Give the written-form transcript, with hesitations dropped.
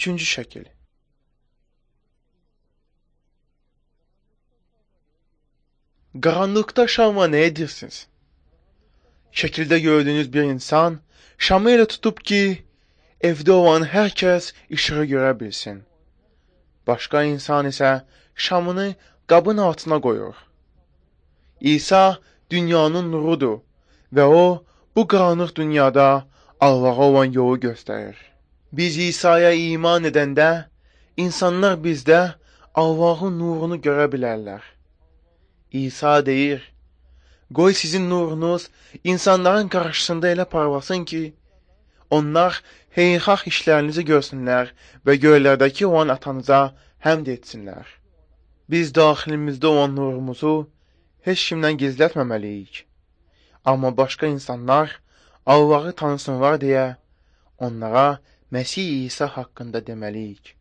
Üçüncü şəkil. Qaranlıqda şamla nə edirsiniz? Şəkildə gördüyünüz bir insan şamı elə tutub ki, evdə olan hər kəs işığı görə bilsin. Başqa insan isə şamını qabın altına qoyur. İsa dünyanın nurudur və o, bu qaranlıq dünyada Allaha olan yolu göstərir. Biz İsa'ya iman edəndə, insanlar bizdə Allahın nurunu görə bilərlər. İsa deyir, qoy sizin nurunuz insanların qarşısında elə parlasın ki, onlar xeyirxah işlərinizi görsünlər və göylərdəki olan atanıza həmd etsinlər. Biz daxilimizdə olan nurumuzu heç kimdən gizlətməməliyik. Amma başqa insanlar Allahı tanısınlar deyə onlara Məsih İsa haqqında deməliyik.